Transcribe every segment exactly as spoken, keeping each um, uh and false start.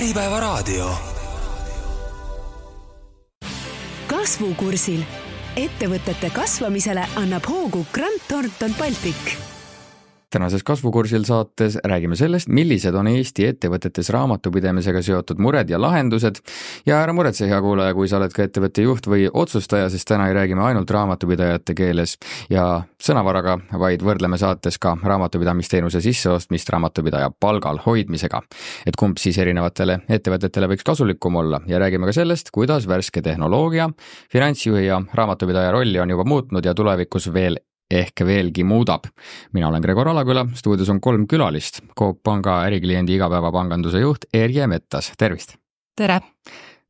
Äripäevaraadio. Kasvukursil. Ettevõtete kasvamisele annab hoogu Grant Thornton Baltic. Tänases Kasvukursil saates räägime sellest, millised on Eesti ettevõtetes raamatupidamisega seotud mured ja lahendused. Ja ära muretse, hea kuulaja, kui sa oled ka ettevõtte juht või otsustaja, sest täna ei räägime ainult raamatupidajate keeles ja sõnavaraga, vaid võrdleme saates ka raamatupidamisteenuse sisseostmist raamatupidaja palgal hoidmisega. Et kumb siis erinevatele ettevõtetele võiks kasulikum olla ja räägime ka sellest, kuidas värske tehnoloogia, finantsjuhi ja raamatupidaja rolli on juba muutnud ja tulevikus veel ehk veelgi muudab. Mina olen Gregor Alaküla, stuudios on kolm külalist. Coop Panga ärikliendi igapäevapanganduse juht Erje Mettas. Tervist! Tere!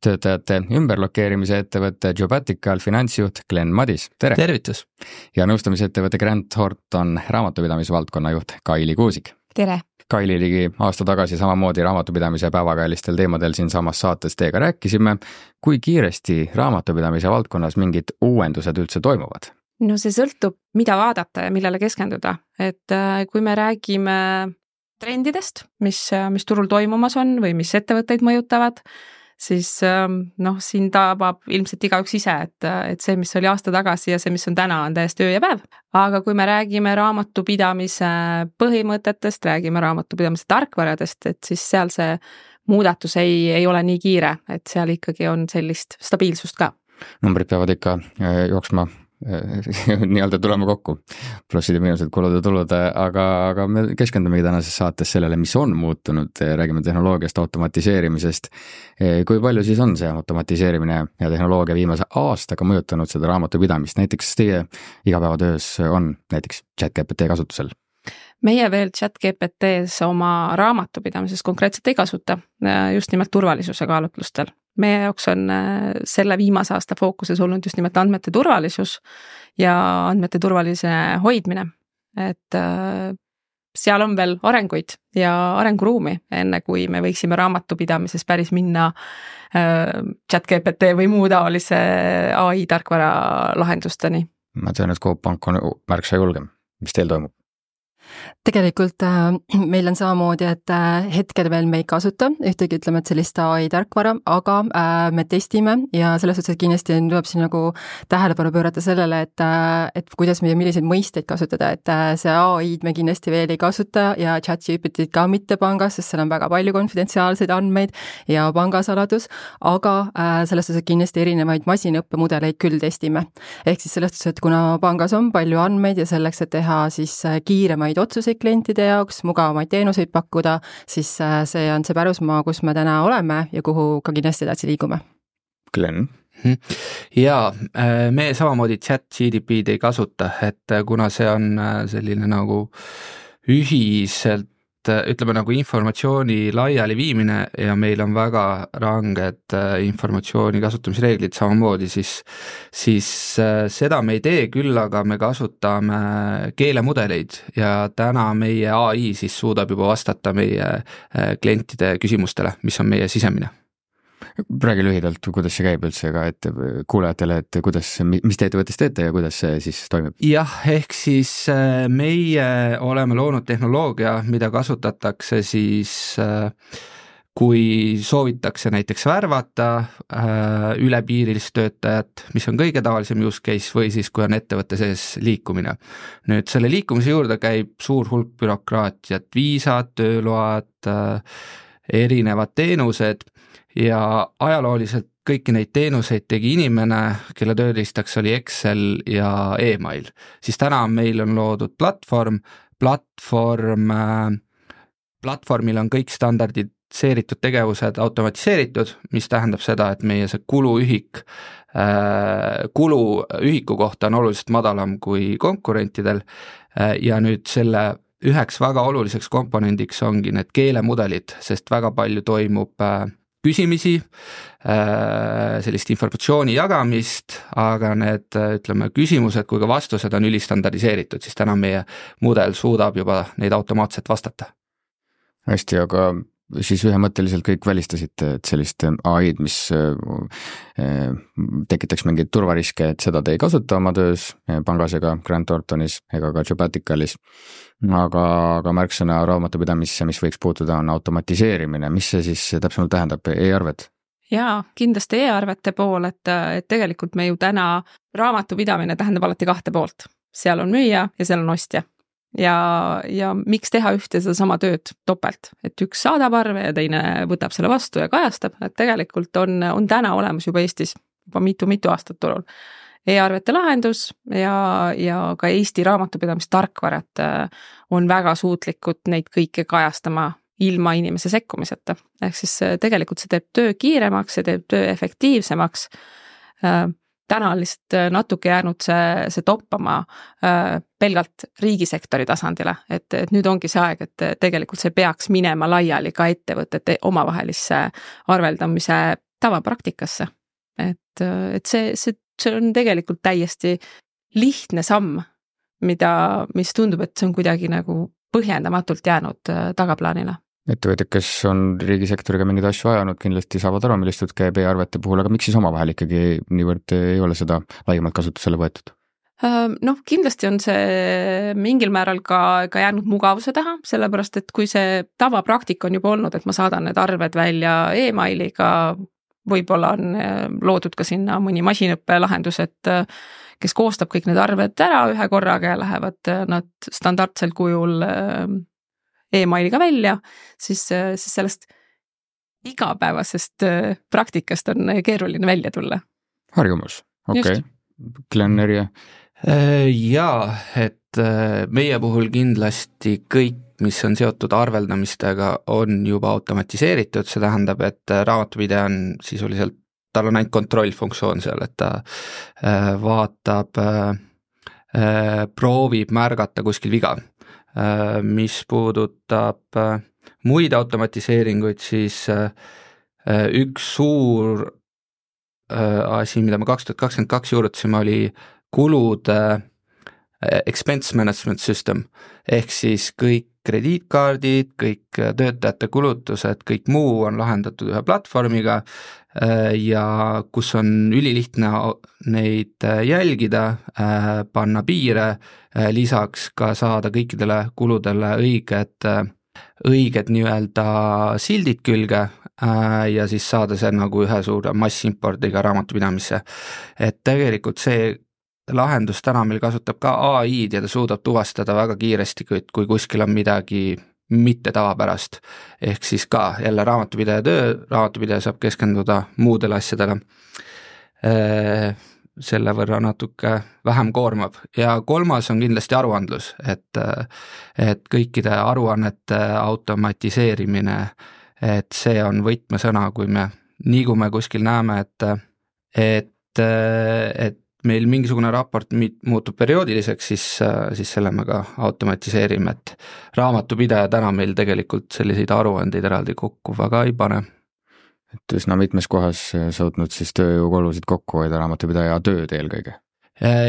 Töötajate ümberlokeerimise ettevõtte Jobatical finantsjuht Glenn Madis. Tere! Tervitus! Ja nõustamisettevõtte Grant Thornton raamatupidamisvaldkonna juht Kaili Kuusik. Tere! Kaili ligi aasta tagasi samamoodi raamatupidamise päevakajalistel teemadel siin samas saates teiega rääkisime. Kui kiiresti raamatupidamise valdkonnas mingid uuendused üldse toimuvad? No see sõltub, mida vaadata ja millele keskenduda. Et kui me räägime trendidest, mis, mis turul toimumas on või mis ettevõtteid mõjutavad, siis noh, siin tabab ilmselt igaüks ise, et, et see, mis oli aasta tagasi ja see, mis on täna, on täiesti öö ja päev. Aga kui me räägime raamatupidamise põhimõtetest, räägime raamatupidamise tarkvaradest, et siis seal see muudatus ei, ei ole nii kiire, et seal ikkagi on sellist stabiilsust ka. Numbrid peavad ikka jooksma nii-öelda tulema kokku, plussid ja miinused, kulud ja tulud, aga, aga me keskendumegi tänases saates sellele, mis on muutunud, räägime tehnoloogiast, automatiseerimisest. Kui palju siis on see automatiseerimine ja tehnoloogia viimase aastaga mõjutanud seda raamatupidamist? Näiteks teie igapäevatöös on näiteks ChatGPT kasutusel? Meie veel ChatGPTs oma raamatupidamises konkreetselt ei kasuta, just nimelt turvalisuse kaalutlustel. Meie jaoks on selle viimase aasta fookuses olnud just nimelt andmete turvalisus ja andmete turvalise hoidmine. Et seal on veel arenguid ja arenguruumi, enne kui me võiksime raamatupidamises päris minna ChatGPT või muu taolise A I tarkvara lahendusteni. Ma tean, et Coop Pank on märksa julgem. Mis teil toimub? Tegelikult äh, meil on samamoodi, et äh, hetkel veel me ei kasuta ühtegi, ütleme, et sellist A I tarkvara, aga äh, me testime ja selles suhtes kindlasti tuleb siin nagu tähelepanu pöörata sellele, et, äh, et kuidas me ja milliseid mõisteid kasutada, et äh, see A I-d me kindlasti veel ei kasuta ja ChatGPT ka mitte pangas, sest seal on väga palju konfidentsiaalseid andmeid ja pangasaladus, aga äh, selles suhtes kindlasti erinevaid masinõppemudeleid küll testime. Ehk siis selles suhtes, et kuna pangas on palju andmeid ja selleks, et teha siis kiiremaid otsuseid klientide jaoks, mugavamaid teenuseid pakkuda, siis see on see pärusmaa, kus me täna oleme ja kuhu ka kindlasti edasi liigume. Glenn? Ja me samamoodi ChatGPT ei kasuta, et kuna see on selline nagu ühiselt ütleme nagu informatsiooni laiali viimine ja meil on väga ranged informatsiooni kasutamisreeglid samamoodi, siis, siis seda me ei tee, küll aga me kasutame keelemudeleid ja täna meie A I siis suudab juba vastata meie klientide küsimustele, mis on meie sisemine. Räägi lühidalt, kuidas see käib üldse ka et kuulajatele, et kuidas, mis te ettevõttes teete ja kuidas see siis toimib? Jah, ehk siis meie oleme loonud tehnoloogia, mida kasutatakse siis, kui soovitakse näiteks värvata ülepiirilist töötajat, mis on kõige tavalisem use case, või siis kui on ettevõtte sees liikumine. Nüüd selle liikumise juurde käib suur hulk bürokraatiat, viisad, tööload, erinevad teenused, ja ajalooliselt kõiki neid teenuseid tegi inimene, kelle tööriistaks oli Excel ja e-mail. Siis täna meil on loodud platvorm, platvorm, platvormil on kõik standardiseeritud tegevused automatiseeritud, mis tähendab seda, et meie see kuluühik, kuluühiku kohta on oluliselt madalam kui konkurentidel ja nüüd selle üheks väga oluliseks komponendiks ongi need keelemudelid, sest väga palju toimub küsimisi, sellist informatsiooni jagamist, aga need, ütleme, küsimused kui ka vastused on ülistandardiseeritud, siis täna meie mudel suudab juba neid automaatselt vastata. Hästi, aga siis ühemõtteliselt kõik välistasite, et sellist A I-d, mis tekitaks mingeid turvariske, et seda te ei kasuta oma töös pangas ega Grant Thorntonis ega ka Jobaticalis, aga, aga märksõna raamatupidamisse, mis võiks puutuda, on automatiseerimine. Mis see siis täpsemalt tähendab, e-arved? Jaa, kindlasti e-arvete pool, et, et tegelikult me ju täna raamatupidamine tähendab alati kahte poolt. Seal on müüja ja seal on ostja. Ja, ja miks teha ühte seda sama tööd topelt, et üks saadab arve ja teine võtab selle vastu ja kajastab, et tegelikult on, on täna olemas juba Eestis juba mitu-mitu aastat turul e-arvete lahendus ja, ja ka Eesti raamatupidamistarkvarad on väga suutlikud neid kõike kajastama ilma inimese sekkumiseta. Ehk siis tegelikult see teeb töö kiiremaks, see teeb töö efektiivsemaks. Täna on lihtsalt natuke jäänud see, see toppama äh, pelgalt riigisektori tasandile, et, et nüüd ongi see aeg, et tegelikult see peaks minema laiali ka ettevõtete omavahelisse arveldamise tavapraktikasse. Et, et see, see, see on tegelikult täiesti lihtne samm, mida, mis tundub, et see on kuidagi nagu põhjendamatult jäänud äh, tagaplaanile. Ettevõtjad, kes on riigisektoriga mingeid asju ajanud, kindlasti saavad aru, millist käib e-arvete puhul, aga miks siis omavahel ikkagi niivõrd ei ole seda laiemalt kasutusele võetud? Noh, kindlasti on see mingil määral ka, ka jäänud mugavuse taha, sellepärast et kui see tavapraktika on juba olnud, et ma saadan need arved välja e-mailiga, võib-olla on loodud ka sinna mõni masinõppe lahendus, et kes koostab kõik need arved ära ühe korraga ja lähevad nad standardsel kujul e-mailiga välja, siis, siis sellest igapäevasest praktikast on keeruline välja tulla. Harjumus, okei. Okay. Glenn ja? Jaa, et meie puhul kindlasti kõik, mis on seotud arveldamistega, on juba automatiseeritud, see tähendab, et raamatupidaja on sisuliselt, tal on ainult kontrollfunktsioon seal, et ta vaatab, proovib märgata kuskil viga. Mis puudutab muid automatiseeringuid, siis üks suur asi, mida me kaks tuhat kakskümmend kaks juurutasime, oli kulude expense management system, ehk siis kõik krediitkaardid, kõik töötajate kulutused, kõik muu on lahendatud ühe platvormiga ja kus on ülilihtne neid jälgida, panna piire, lisaks ka saada kõikidele kuludele õiged, õiged nii-öelda sildid külge ja siis saada see nagu ühe suure massimpordiga raamatupidamisse. Et tegelikult see lahendus täna meil kasutab ka A I-d ja ta suudab tuvastada väga kiiresti, kui kuskil on midagi mitte tavapärast. Ehk siis ka jälle raamatupidaja töö, raamatupidaja saab keskenduda muudele asjadele. Selle võrra natuke vähem koormab. Ja kolmas on kindlasti aruandlus, et, et kõikide aruannete automatiseerimine, et see on võtmesõna, kui me niigume kuskil näeme, et, et, et meil mingisugune raport muutub perioodiliseks, siis, siis selle me ka automatiseerime, et raamatupidaja täna meil tegelikult selliseid aruandeid eraldi kokku väga ei pane. Et üsna mitmes kohas suutnud siis tööjõukulusid kokku hoida raamatupidaja tööd eelkõige?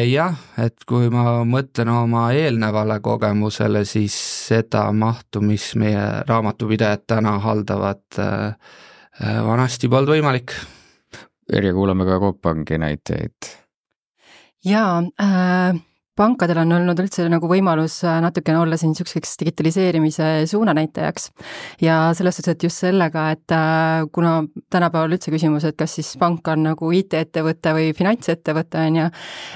Jah, et kui ma mõtlen oma eelnevale kogemusele, siis seda mahtu, mis meie raamatupidajad täna haldavad, vanasti polnud võimalik. Erja, kuulame ka Coop Pangi näiteid. Jaa, äh, pankadel on olnud üldse nagu võimalus natukene olla siin niisuguseks digitaliseerimise suunanäitajaks ja selles suhtes, et just sellega, et äh, kuna tänapäeval üldse küsimus, et kas siis pank on nagu I T-ettevõte või finantsettevõte on ja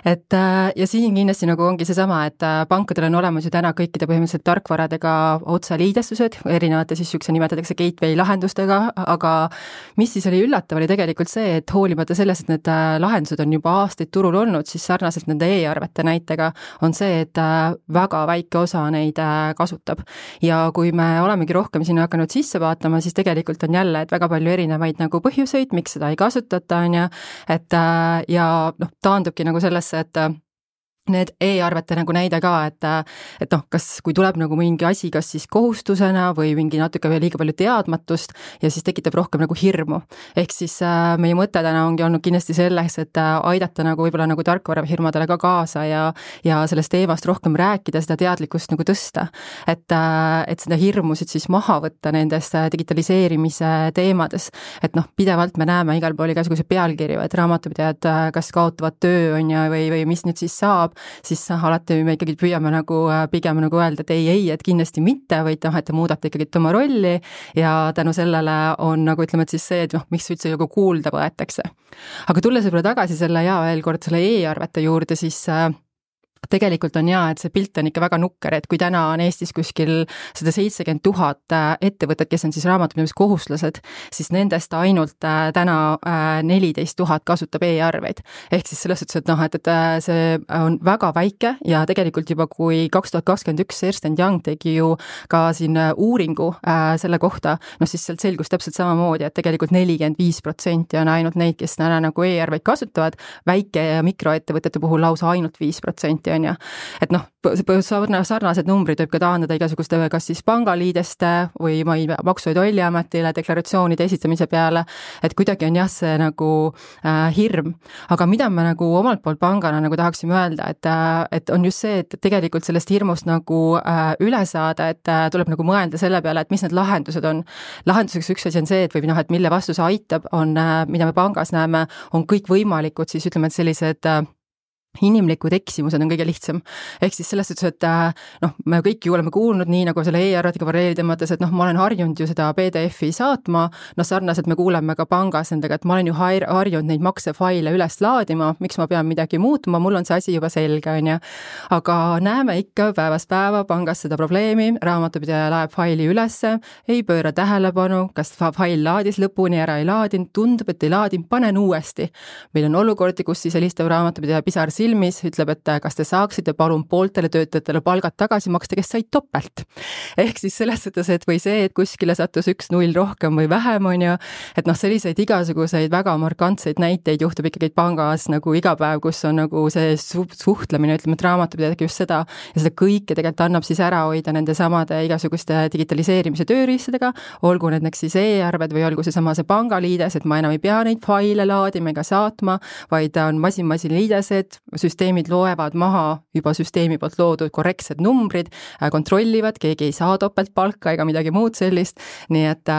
et äh, ja siin kindlasti nagu ongi seesama, et äh, pankadel on olemas ju täna kõikide põhimõtteliselt tarkvaradega otseliidestused, erinevate siis niisuguse nimetatakse gateway lahendustega, aga mis siis oli üllatav, oli tegelikult see, et hoolimata sellest, et need lahendused on juba aastaid turul olnud, siis sarnaselt nende e-arvete näitega on see, et väga väike osa neid kasutab. Ja kui me olemegi rohkem sinna hakanud sisse vaatama, siis tegelikult on jälle, et väga palju erinevaid nagu põhjuseid, miks seda ei kasutata, on ja, et ja noh, taandubki nagu sellesse, et need e-arvete nagu näide ka, et, et noh, kas, kui tuleb nagu mingi asi, kas siis kohustusena või mingi natuke veel liiga palju teadmatust ja siis tekitab rohkem nagu hirmu. Ehk siis äh, meie mõte täna ongi olnud kindlasti selles, et äh, aidata nagu võib-olla nagu tarkvarafirmadele ka kaasa ja, ja sellest teemast rohkem rääkida, seda teadlikkust nagu tõsta. Et, äh, et seda hirmusid siis maha võtta nendest digitaliseerimise teemades. Et noh, pidevalt me näeme igal pool igasuguse pealkirju, et raamatupidajad kas kaotavad töö on ja, või, või mis nüüd siis saab, siis alati me ikkagi püüame nagu pigem nagu öelda, et ei, ei, et kindlasti mitte, vaid noh, et te muudate ikkagi oma rolli ja tänu sellele on nagu ütleme, et siis see, et noh, miks üldse nagu kuulda võetakse. Aga tulles võib-olla tagasi selle ja veel kord selle e-arvete juurde, siis tegelikult on jaa, et see pilt on ikka väga nukker, et kui täna on Eestis kuskil sada seitsekümmend tuhat ettevõtet, kes on siis raamatupidamiskohuslased, siis nendest ainult täna neliteist tuhat kasutab e-arveid. Ehk siis selles suhtes, et noh, et, et see on väga väike ja tegelikult juba kui kaks tuhat kakskümmend üks Ernst and Young tegi ju ka siin uuringu selle kohta, noh siis sealt selgus täpselt samamoodi, et tegelikult nelikümmend viis protsenti on ainult neid, kes täna nagu e-arveid kasutavad, väike- ja mikroettevõtete puhul lausa ainult viis protsenti on ja, et noh, sarnased numbrid võib ka taandada igasuguste kas siis pangaliideste või ma ei tea, Maksu- ja Tolliametile deklaratsioonide esitamise peale, et kuidagi on jah see nagu äh, hirm. Aga mida me nagu omalt poolt pangana nagu tahaksime öelda, et, äh, et on just see, et tegelikult sellest hirmust nagu äh, üle saada, et äh, tuleb nagu mõelda selle peale, et mis need lahendused on. Lahenduseks üks asi on see, et või noh, et mille vastu see aitab, on, äh, mida me pangas näeme, on kõik võimalikud, siis ütleme, et sellised äh, inimlikud eksimused on kõige lihtsam. Ehk siis selles suhtes, et noh, me kõik ju oleme kuulnud nii nagu selle e-arvetiga paralleeli mõttes, et noh, ma olen harjunud ju seda P D F-i saatma, noh sarnaselt me kuuleme ka pangas nendega, et ma olen ju harjunud neid maksefaile üles laadima, miks ma pean midagi muutma, mul on see asi juba selge, on ja. Aga näeme ikka päevast päeva pangas seda probleemi, raamatupidaja laeb faili ülesse, ei pööra tähelepanu, kas fail laadis lõpuni ära ei laadinud, tundub, et ei laadinud, panen uuesti. Meil on olukordi, kus siis helistav raamatupidaja pisar silmis ütleb, et kas te saaksite palun pooltele töötajatele palgad tagasi maksta, kes said topelt. Ehk siis selles suhtes, et või see, et kuskile sattus üks null rohkem või vähem on ju, et noh, selliseid igasuguseid väga markantseid näiteid juhtub ikkagi pangas nagu iga päev, kus on nagu see suhtlemine, ütleme, et raamatupidajadega just seda ja seda kõike tegelikult annab siis ära hoida nende samade igasuguste digitaliseerimise tööriistadega, olgu need siis e-arved või olgu see sama see pangaliides, et ma enam ei pea neid faile laadima ega saatma, vaid on masin-masin liidesed, süsteemid loevad maha juba süsteemi poolt loodud korrektsed numbrid, kontrollivad, keegi ei saa topelt palka ega midagi muud sellist, nii et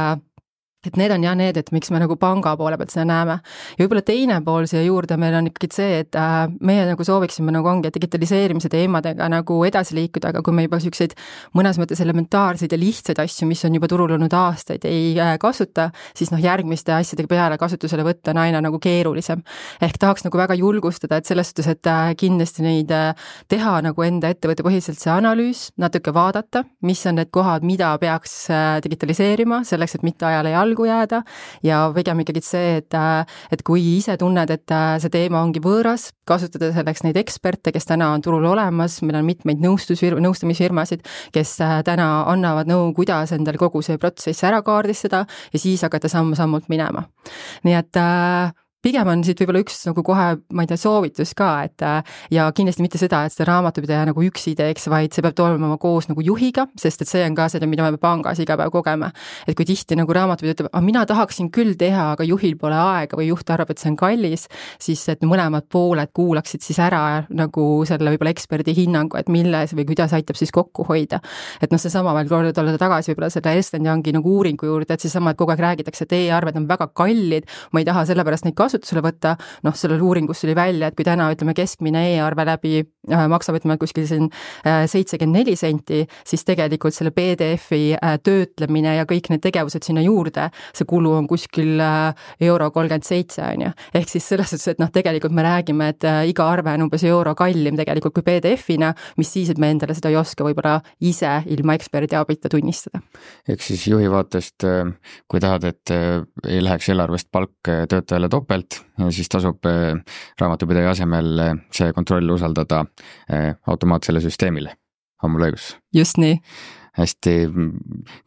et need on jah need, et miks me nagu panga poole pealt seda näeme. Ja võib-olla teine pool siia juurde meil on ikkagi see, et meie nagu sooviksime nagu ongi digitaliseerimise teemadega nagu edasi liikuda, aga kui me juba selliseid mõnes mõttes elementaarseid ja lihtsaid asju, mis on juba turul olnud aastaid, ei kasuta, siis noh, järgmiste asjadega peale kasutusele võtta on aina nagu keerulisem. Ehk tahaks nagu väga julgustada, et selles suhtes, et kindlasti neid teha nagu enda ettevõtte põhiselt see analüüs, natuke vaadata, mis on need kohad, mida peaks digitaliseerima, selleks, et mitte ajale jalgu jääda ja pigem ikkagi see, et, et kui ise tunned, et see teema ongi võõras, kasutada selleks neid eksperte, kes täna on turul olemas, meil on mitmeid nõustusfirma, nõustamisfirmasid, kes täna annavad nõu, kuidas endal kogu see protsess ära kaardistada ja siis hakata samm-sammult minema. Nii et pigem on siit võib-olla üks nagu kohe, ma ei tea, soovitus ka, et ja kindlasti mitte seda, et seda raamatupidaja nagu üksi teeks, vaid see peab toimuma koos nagu juhiga, sest et see on ka seda, mida me pangas iga päev kogeme. Et kui tihti nagu raamatupidaja ütleb, ah, mina tahaksin küll teha, aga juhil pole aega või juht arvab, et see on kallis, siis et mõlemad pooled kuulaksid siis ära nagu selle võib-olla eksperdi hinnangu, et milles või kuidas aitab siis kokku hoida. Et noh, see sama veel korda olla tagasi võib-olla selle Ernst and Youngi nagu uuringu juurde, et siis sama, et kogu aeg räägitakse, et e-arved on väga kallid, ma ei taha sellepärast neid kasutusele võtta, noh, sellel uuringus tuli välja, et kui täna ütleme keskmine e-arve läbi äh, maksab, ütleme, kuskil siin äh, seitsekümmend neli senti, siis tegelikult selle P D F-i äh, töötlemine ja kõik need tegevused sinna juurde, see kulu on kuskil äh, euro kolmkümmend seitse, on ju. Ehk siis selles suhtes, et noh, tegelikult me räägime, et äh, iga arve on umbes euro kallim tegelikult kui P D F-ina, mis siis, et me endale seda ei oska võib-olla ise ilma eksperdi abita tunnistada. Ehk siis juhi vaatest, kui tahad, et ei läheks eelarvest palk töötajale topelt, ja siis tasub raamatupidaja asemel see kontroll usaldada automaatsele süsteemile. On mul õigus? Just nii. Hästi,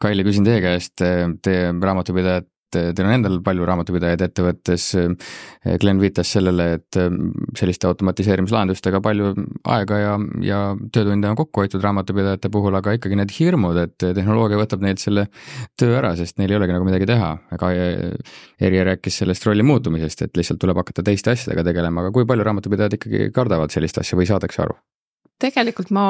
Kaili, küsin teie käest, te raamatupidajad teil on endal palju raamatupidajaid ettevõttes. Glen viitas sellele, et selliste automatiseerimislahendustega palju aega ja, ja töötunde on kokku hoitud raamatupidajate puhul, aga ikkagi need hirmud, et tehnoloogia võtab neilt selle töö ära, sest neil ei olegi nagu midagi teha. Aga Erje rääkis sellest rolli muutumisest, et lihtsalt tuleb hakata teiste asjadega tegelema, aga kui palju raamatupidajad ikkagi kardavad sellist asja või saadakse aru? Tegelikult ma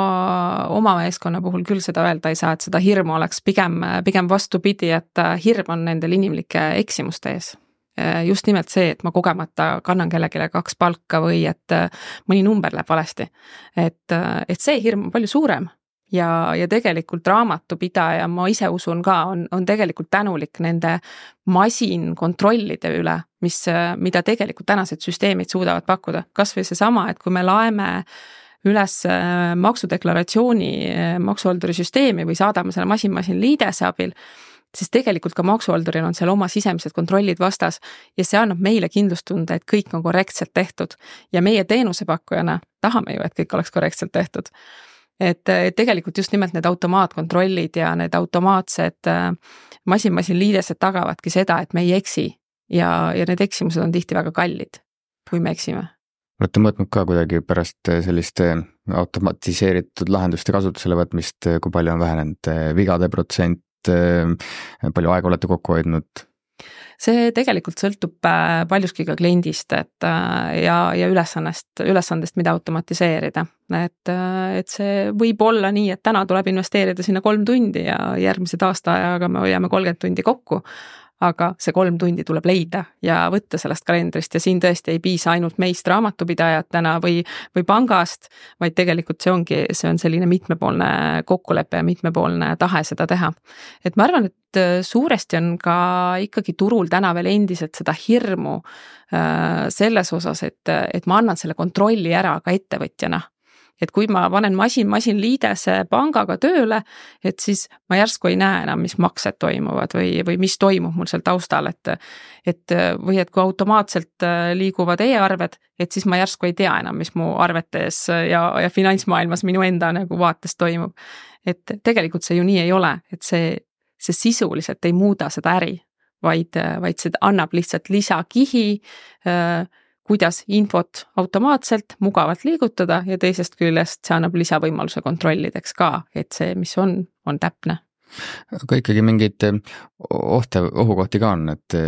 oma meeskonna puhul küll seda öelda ei saa, et seda hirmu oleks pigem, pigem vastupidi, et hirm on nendel inimlike eksimuste ees. Just nimelt see, et ma kogemata kannan kellegile kaks palka või et mõni number läheb valesti. Et, et see hirm on palju suurem ja, ja tegelikult raamatupidaja, ma ise usun ka, on, on tegelikult tänulik nende masinkontrollide üle, mis, mida tegelikult tänased süsteemid suudavad pakkuda. Kas või see sama, et kui me laeme üles maksudeklaratsiooni maksuhalduri süsteemi või saadame selle masin-masin liidese abil, siis tegelikult ka maksuhalduril on seal oma sisemised kontrollid vastas ja see annab meile kindlustunde, et kõik on korrektselt tehtud ja meie teenusepakkujana tahame ju, et kõik oleks korrektselt tehtud. Et tegelikult just nimelt need automaatkontrollid ja need automaatsed masin-masin liidesed tagavadki seda, et me ei eksi ja, ja need eksimused on tihti väga kallid, kui me eksime. Olete mõõtnud ka kuidagi pärast selliste automatiseeritud lahenduste kasutusele võtmist, kui palju on vähenenud vigade protsent, palju aega olete kokku hoidnud? See tegelikult sõltub paljuski ka kliendist et, ja, ja ülesannest, ülesandest, mida automatiseerida. Et, et see võib olla nii, et täna tuleb investeerida sinna kolm tundi ja järgmised aasta ajaga me hoiame kolmkümmend tundi kokku, aga see kolm tundi tuleb leida ja võtta sellest kalendrist ja siin tõesti ei piisa ainult meist raamatupidajatena või, või pangast, vaid tegelikult see ongi, see on selline mitmepoolne kokkulepe ja mitmepoolne tahe seda teha. Et ma arvan, et suuresti on ka ikkagi turul täna veel endiselt seda hirmu selles osas, et, et ma annan selle kontrolli ära ka ettevõtjana. Et kui ma panen masin, masin liidese pangaga tööle, et siis ma järsku ei näe enam, mis maksed toimuvad või, või mis toimub mul seal taustal, et, et või et kui automaatselt liiguvad e-arved, et siis ma järsku ei tea enam, mis mu arvetes ja, ja finantsmaailmas minu enda nagu vaates toimub. Et tegelikult see ju nii ei ole, et see, see sisuliselt ei muuda seda äri, vaid, vaid see annab lihtsalt lisakihi, kuidas infot automaatselt mugavalt liigutada ja teisest küljest see annab lisavõimaluse kontrollideks ka, et see, mis on, on täpne. Aga ikkagi mingid ohte, ohukohti ka on, et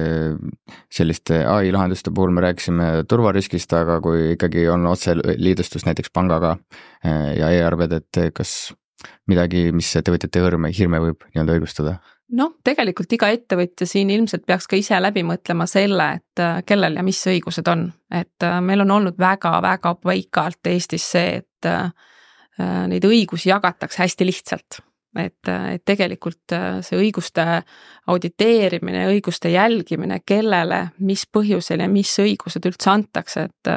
selliste A I lahenduste puhul me rääkisime turvariskist, aga kui ikkagi on otse liidustus näiteks pangaga ja e-arved, et kas midagi, mis ettevõtjate hirme, hirme võib nii-öelda õigustada? Noh, tegelikult iga ettevõtja siin ilmselt peaks ka ise läbi mõtlema selle, et kellel ja mis õigused on. Et meil on olnud väga-väga paikalt Eestis see, et neid õigusi jagatakse hästi lihtsalt. Et, et tegelikult see õiguste auditeerimine, õiguste jälgimine, kellele, mis põhjusel ja mis õigused üldse antakse, et,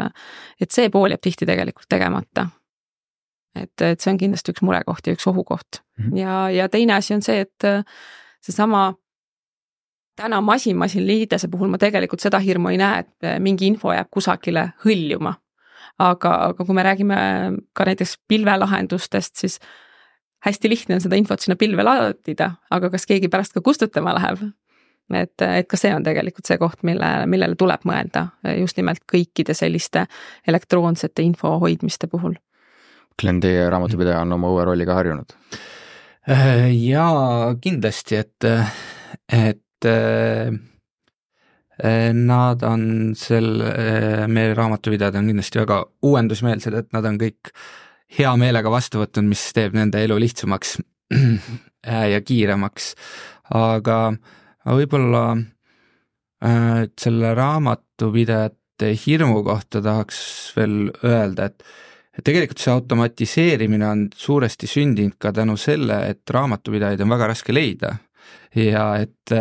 et see pool jääb tihti tegelikult tegemata. Et, et see on kindlasti üks murekoht ja üks ohukoht. Mm-hmm. Ja, ja teine asi on see, et see sama täna masin-masin liidese puhul ma tegelikult seda hirmu ei näe, et mingi info jääb kusagile hõljuma. Aga, aga kui me räägime ka näiteks pilvelahendustest, siis hästi lihtne on seda infot sinna pilve laadida, aga kas keegi pärast ka kustutama läheb? Et, et ka see on tegelikult see koht, mille, millele tuleb mõelda just nimelt kõikide selliste elektroonsete info hoidmiste puhul. Glen, teie raamatupidaja on oma uue rolliga harjunud? Jaa, kindlasti, et, et nad on sel, meie raamatupidajad on kindlasti väga uuendusmeelsed, et nad on kõik hea meelega vastu võtnud, mis teeb nende elu lihtsamaks ja kiiremaks. Aga võib-olla selle raamatupidajate hirmu kohta tahaks veel öelda, et tegelikult see automatiseerimine on suuresti sündinud ka tänu selle, et raamatupidajaid on väga raske leida ja et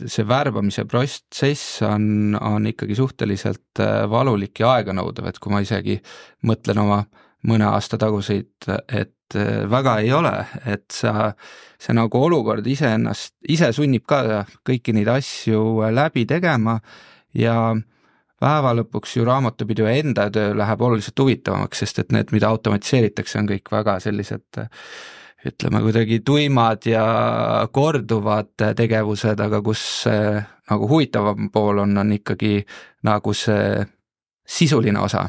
see värbamise protsess on, on ikkagi suhteliselt valulik ja aeganõudav, et kui ma isegi mõtlen oma mõne aasta taguseid, et väga ei ole, et sa, see nagu olukord ise ennast, ise sunnib ka kõiki neid asju läbi tegema ja päeva lõpuks ju raamatupidaja enda töö läheb oluliselt huvitavamaks, sest et need, mida automatiseeritakse, on kõik väga sellised ütleme kuidagi tuimad ja korduvad tegevused, aga kus see nagu huvitavam pool on, on ikkagi nagu see sisuline osa.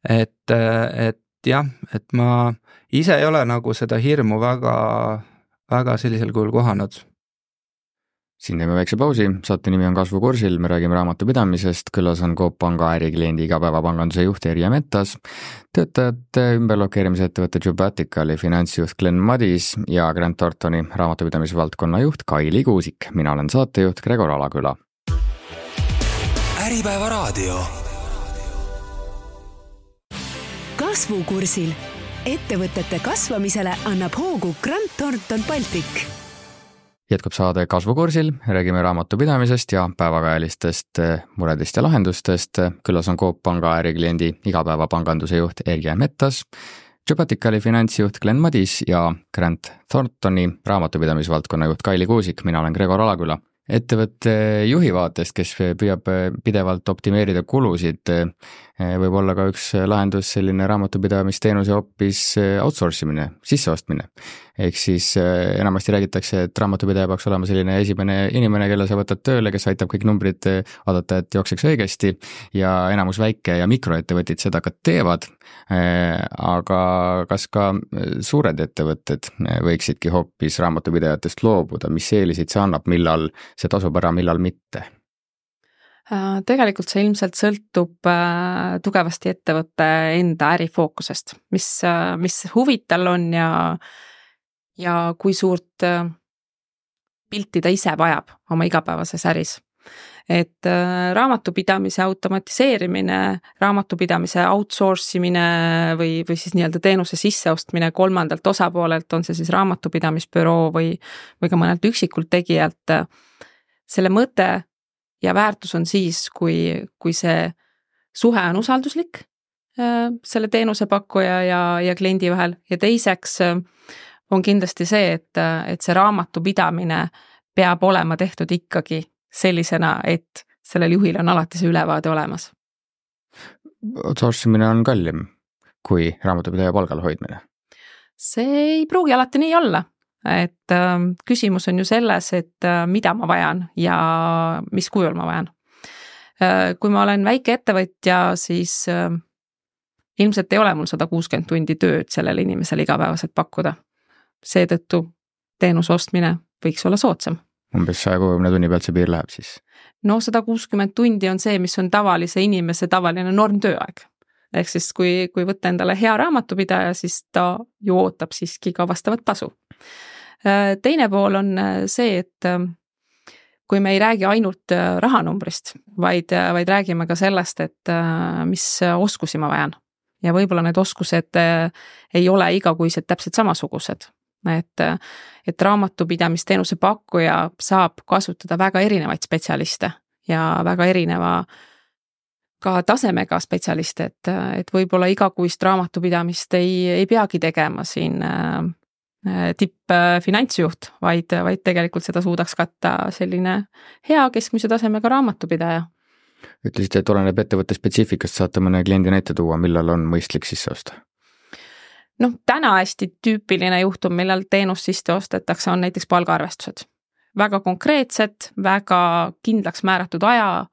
Et, et jah, et ma ise ei ole nagu seda hirmu väga, väga sellisel kujul kohanud. Siin teeme väikse pausi, saate nimi on Kasvukursil, me räägime raamatupidamisest, külas on Coop Panga ärikliendi igapäevapanganduse juht Erja Metas, töötajate ümberlokeerimise ettevõtte Jubaticali finantsjuht Glenn Madis ja Grant Thorntoni raamatupidamisvaldkonna juht Kaili Kuusik. Mina olen saatejuht Gregor Alaküla. Äripäeva raadio. Kasvukursil. Ettevõtete kasvamisele annab hoogu Grant Thornton Baltic. Jätkub saade Kasvukursil, räägime raamatupidamisest ja päevakajalistest muredest ja lahendustest. Külas on Coop Panga ärikliendi igapäevapanganduse juht Erja Metas, Jubaticali finantsjuht Glenn Madis ja Grant Thorntoni raamatupidamisvaldkonna juht Kaili Kuusik. Mina olen Gregor Alaküla. Ettevõtte juhi vaatest, kes püüab pidevalt optimeerida kulusid, võib olla ka üks lahendus selline raamatupidamisteenuse hoopis outsourcimine, sisseostmine. Ehk siis enamasti räägitakse, et raamatupidaja peaks olema selline esimene inimene, kelle sa võtad tööle, kes aitab kõik numbrid vaadata, et jookseks õigesti ja enamus väike- ja mikroettevõtted seda ka teevad. Aga kas ka suured ettevõtted võiksidki hoopis raamatupidajatest loobuda, mis eelisid see annab, millal see tasub ära, millal mitte? Tegelikult see ilmselt sõltub tugevasti ettevõtte enda ärifookusest, mis, mis huvid tal on ja, ja kui suurt pilti ta ise vajab oma igapäevases äris. Et raamatupidamise automatiseerimine, raamatupidamise outsourcimine või, või siis nii-öelda teenuse sisseostmine kolmandalt osapoolelt, on see siis raamatupidamisbüroo või, või ka mõnelt üksikult tegijalt, selle mõte ja väärtus on siis, kui, kui see suhe on usalduslik selle teenusepakkuja ja, ja kliendi vahel ja teiseks on kindlasti see, et, et see raamatupidamine peab olema tehtud ikkagi sellisena, et sellel juhil on alati see ülevaade olemas. Outsourcimine on kallim kui raamatupidaja palgal hoidmine? See ei pruugi alati nii olla, et äh, küsimus on ju selles, et äh, mida ma vajan ja mis kujul ma vajan. Äh, kui ma olen väike ettevõtja, siis äh, ilmselt ei ole mul sada kuuskümmend tundi tööd sellele inimesele igapäevaselt pakkuda. Seetõttu teenuse ostmine võiks olla soodsam. Umbes saja kuuekümne tunni pealt see piir läheb siis? No sada kuuskümmend tundi on see, mis on tavalise inimese tavaline normtööaeg. Ehk siis kui, kui võtta endale hea raamatupidaja, siis ta ju ootab siiski ka vastavat tasu. Teine pool on see, et kui me ei räägi ainult rahanumbrist, vaid, vaid räägime ka sellest, et mis oskusi ma vajan. Ja võib-olla need oskused ei ole igakuised täpselt samasugused. Et, et raamatupidamisteenuse pakkuja saab kasutada väga erinevaid spetsialiste ja väga erineva ka tasemega spetsialiste, et, et võib-olla igakuist raamatupidamist ei, ei peagi tegema siin tipp finantsjuht, vaid, vaid tegelikult seda suudaks katta selline hea keskmise tasemega raamatupidaja. Ütlesite, et oleneb ettevõtte spetsiifikast, saate mõne kliendi näite tuua, millal on mõistlik sisse osta? Noh, täna hästi tüüpiline juhtum, millal teenus sisse ostetakse, on näiteks palgaarvestused. Väga konkreetsed, väga kindlaks määratud aja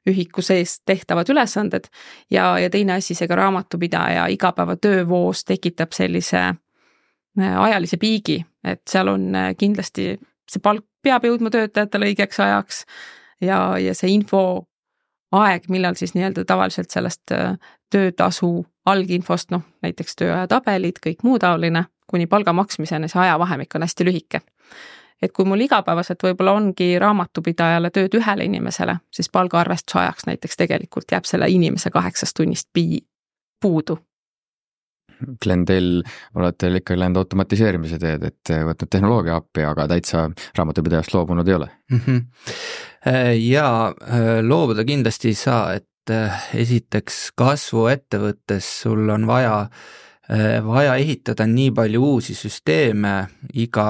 ühiku sees tehtavad ülesanded ja, ja teine asi, see ka raamatupidaja igapäeva töövoos tekitab sellise ajalise piigi, et seal on kindlasti see palk peab jõudma töötajatele õigeks ajaks ja, ja see info aeg, millal siis nii-öelda tavaliselt sellest töötasu alginfost, noh, näiteks tööaja tabelid, kõik muu taoline, kuni palga maksmiseni see ajavahemik on hästi lühike. Et kui mul igapäevaselt võib-olla ongi raamatupidajale tööd ühele inimesele, siis palgaarvestuse ajaks näiteks tegelikult jääb selle inimese kaheksast tunnist pii puudu. Glenn, teil olete ikka läinud automatiseerimise teed, et võtnud tehnoloogia appi, aga täitsa raamatupidajast loobunud ei ole? Ja loobuda kindlasti ei saa, et esiteks kasvu ettevõttes sul on vaja, vaja ehitada nii palju uusi süsteeme iga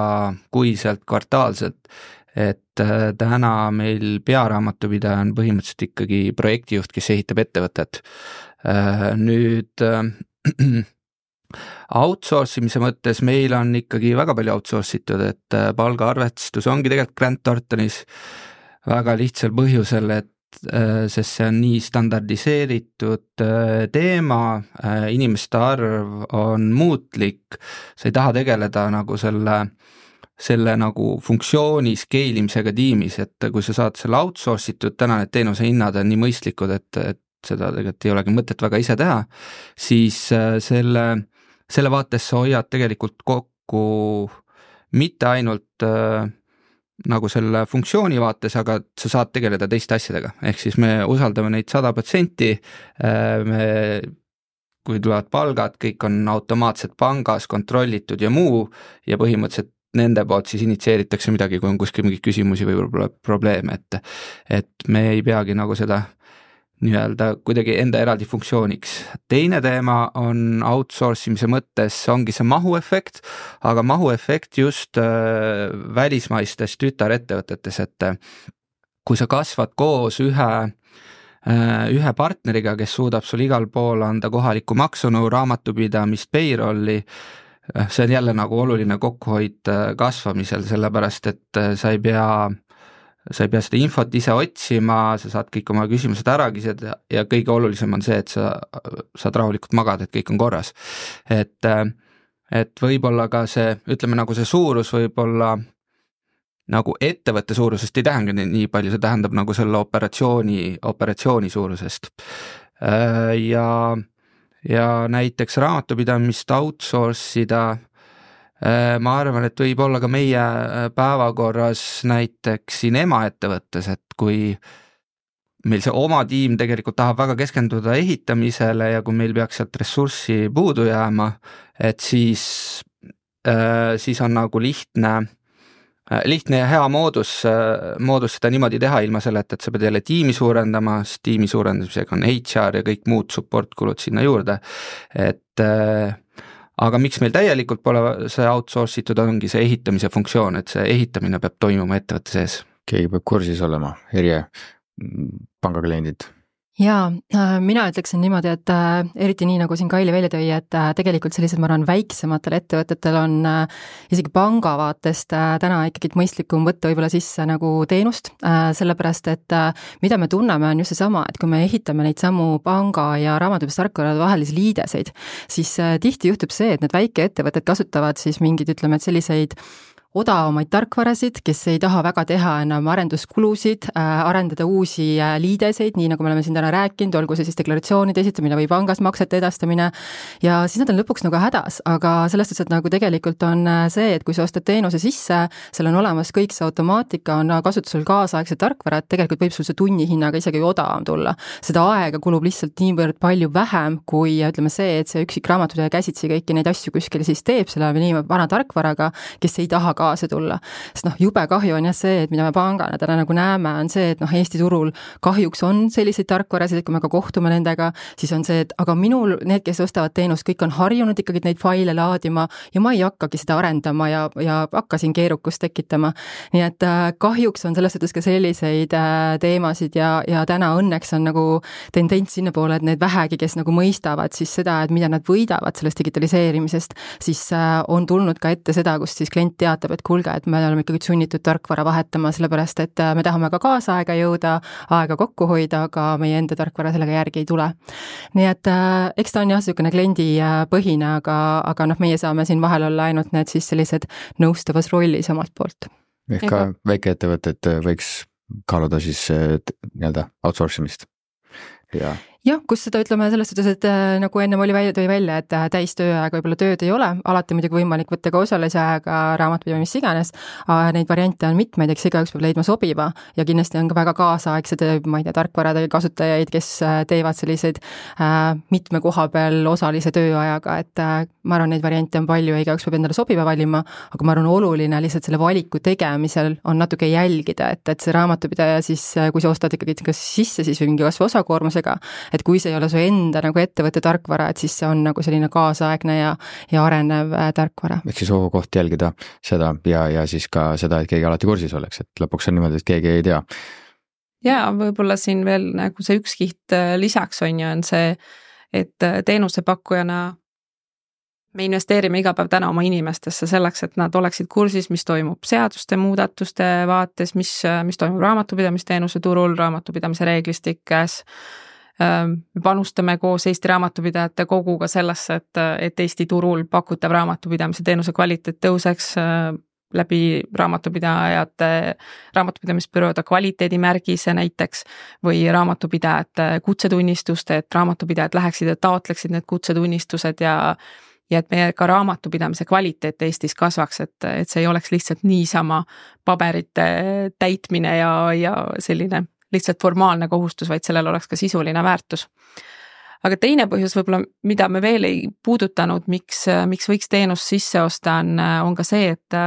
kuiselt, kvartaalselt, et täna meil pearaamatupidaja on põhimõtteliselt ikkagi projektijuht, kes ehitab ettevõtet. Nüüd outsource imise mõttes meil on ikkagi väga palju outsource itud, et palgaarvestus ongi tegelikult Grant Thorntonis väga lihtsal põhjusel, et sest see on nii standardiseeritud teema, inimeste arv on muutlik, sa ei taha tegeleda nagu selle, selle nagu funktsiooni scale imisega tiimis, et kui sa saad selle outsource itud, täna need teenuse hinnad on nii mõistlikud, et, et seda tegelikult ei olegi mõtet väga ise teha, siis selle, selle vaates sa hoiad tegelikult kokku mitte ainult äh, nagu selle funktsiooni vaates, aga sa saad tegeleda teiste asjadega, ehk siis me usaldame neid sada protsenti, me, kui tulevad palgad, kõik on automaatselt pangas kontrollitud ja muu ja põhimõtteliselt nende poolt siis initsieeritakse midagi, kui on kuskil mingeid küsimusi või võib-olla probleeme, et, et me ei peagi nagu seda nii-öelda kuidagi enda eraldi funktsiooniks. Teine teema on outsource imise mõttes, ongi see mahuefekt, aga mahuefekt just äh, välismaistes tütarettevõtetes, et kui sa kasvad koos ühe, äh, ühe partneriga, kes suudab sul igal pool anda kohalikku maksunõu, raamatupidamist, payrolli, see on jälle nagu oluline kokkuhoid kasvamisel, sellepärast et sa ei pea sa ei pea seda infot ise otsima, sa saad kõik oma küsimused ära küsida ja kõige olulisem on see, et sa saad rahulikult magada, et kõik on korras. Et, et võib-olla ka see, ütleme nagu see suurus võib-olla nagu ettevõtte suurusest ei tähenda nii palju, see tähendab nagu selle operatsiooni, operatsiooni suurusest. Ja, ja näiteks raamatupidamist outsource ida, ma arvan, et võib olla ka meie päevakorras näiteks siin emaettevõttes, et kui meil see oma tiim tegelikult tahab väga keskenduda ehitamisele ja kui meil peaks sealt ressurssi puudu jääma, et siis, siis on nagu lihtne, lihtne ja hea moodus, moodus seda niimoodi teha ilma selleta, et sa pead jälle tiimi suurendama, sest tiimi suurendamisega on H R ja kõik muud support-kulud sinna juurde, et aga miks meil täielikult pole see outsource itud, ongi see ehitamise funktsioon, et see ehitamine peab toimuma ettevõtte sees. Keegi peab kursis olema, erje pangakliendid. Jaa, mina ütleksin niimoodi, et äh, eriti nii, nagu siin Kaili välja tõi, et äh, tegelikult sellised, ma arvan, väiksematel ettevõtetel on äh, isegi panga vaatest äh, täna ikkagi mõistlikum võtta võib-olla sisse nagu teenust, äh, sellepärast et äh, mida me tunneme on just seesama, et kui me ehitame neid samu panga ja raamatupidamistarkvara vahelisi liideseid, siis äh, tihti juhtub see, et need väikeettevõtted kasutavad siis mingid, ütleme, et selliseid odavamaid tarkvarasid, kes ei taha väga teha enam arenduskulusid, äh, arendada uusi äh, liideseid, nii nagu me oleme siin täna rääkinud, olgu see siis deklaratsioonide esitamine või pangas maksete edastamine, ja siis nad on lõpuks nagu hädas, aga selles suhtes, et nagu tegelikult on see, et kui sa ostad teenuse sisse, seal on olemas kõik see automaatika, on kasutusel kaasaegse tarkvara, et tegelikult võib sul see tunnihinnaga isegi odavam tulla. Seda aega kulub lihtsalt niivõrd palju vähem, kui ütleme see, et see üksik raamatupidaja käsitsi kõiki neid asju kuskil siis teeb selle nii vana tarkvaraga, kes ei taha kaasa tulla. Sest noh, jube kahju on jah see, et mida me pangana täna nagu näeme, on see, et noh, Eesti turul kahjuks on selliseid tarkvarasid, et kui me ka kohtume nendega, siis on see, et aga minul, need, kes ostavad teenust, kõik on harjunud ikkagi neid faile laadima ja ma ei hakkagi seda arendama ja, ja hakkasin keerukust tekitama. Nii et äh, kahjuks on selles suhtes ka selliseid äh, teemasid ja, ja täna õnneks on nagu tendents sinna poole, et need vähegi, kes nagu mõistavad siis seda, et mida nad võidavad sellest digitaliseerimisest, siis äh, on tulnud ka ette seda, kus siis klient teatab, et kuulge, et me oleme ikkagi sunnitud tarkvara vahetama, sellepärast et me tahame ka kaasaega jõuda, aega kokku hoida, aga meie enda tarkvara sellega järgi ei tule. Nii et äh, eks ta on jah, niisugune kliendi põhine, aga, aga noh, meie saame siin vahel olla ainult need siis sellised nõustavas rollis omalt poolt. Ehk ka väikeettevõtted võiks kaaluda siis nii-öelda outsource imist ja jah, kus seda ütleme selles suhtes, et äh, nagu ennem oli välja, tõi välja, et äh, täistööaega võib-olla tööd ei ole, alati muidugi võimalik võtta ka osalise ajaga raamatupidamist iganes, aga neid variante on mitmeid, eks igaüks peab leidma sobiva ja kindlasti on ka väga kaasaegsed, ma ei tea, tarkvarade kasutajaid, kes äh, teevad selliseid äh, mitme koha peal osalise tööajaga, et äh, ma arvan, neid variante on palju ja igaüks peab endale sobiva valima, aga ma arvan, oluline lihtsalt selle valiku tegemisel on natuke jälgida, et, et see raamatupidaja siis, kui sa ostad ikkagi kas sisse siis või mingi kasvu osakoormusega, et kui see ei ole su enda nagu ettevõtte tarkvara, et siis see on nagu selline kaasaegne ja, ja arenev äh, tarkvara. Ehk siis koht jälgida seda ja, ja siis ka seda, et keegi alati kursis oleks, et lõpuks on niimoodi, et keegi ei tea. Ja võib-olla siin veel nagu see üks kiht lisaks on ju, on see, et teenusepakkujana me investeerime iga päev täna oma inimestesse selleks, et nad oleksid kursis, mis toimub seaduste muudatuste vaates, mis, mis toimub raamatupidamisteenuse turul, raamatupidamise reeglistikes. Me panustame koos Eesti Raamatupidajate Koguga sellesse, et, et Eesti turul pakutav raamatupidamise teenuse kvaliteet tõuseks läbi raamatupidajate, raamatupidamisbüroode kvaliteedimärgise näiteks või raamatupidajate kutsetunnistuste, et raamatupidajad läheksid ja taotleksid need kutsetunnistused ja ja et meie ka raamatupidamise kvaliteet Eestis kasvaks, et, et see ei oleks lihtsalt niisama paberite täitmine ja, ja selline lihtsalt formaalne kohustus, vaid sellel oleks ka sisuline väärtus. Aga teine põhjus võib-olla, mida me veel ei puudutanud, miks, miks võiks teenus sisse osta, on, on ka see, et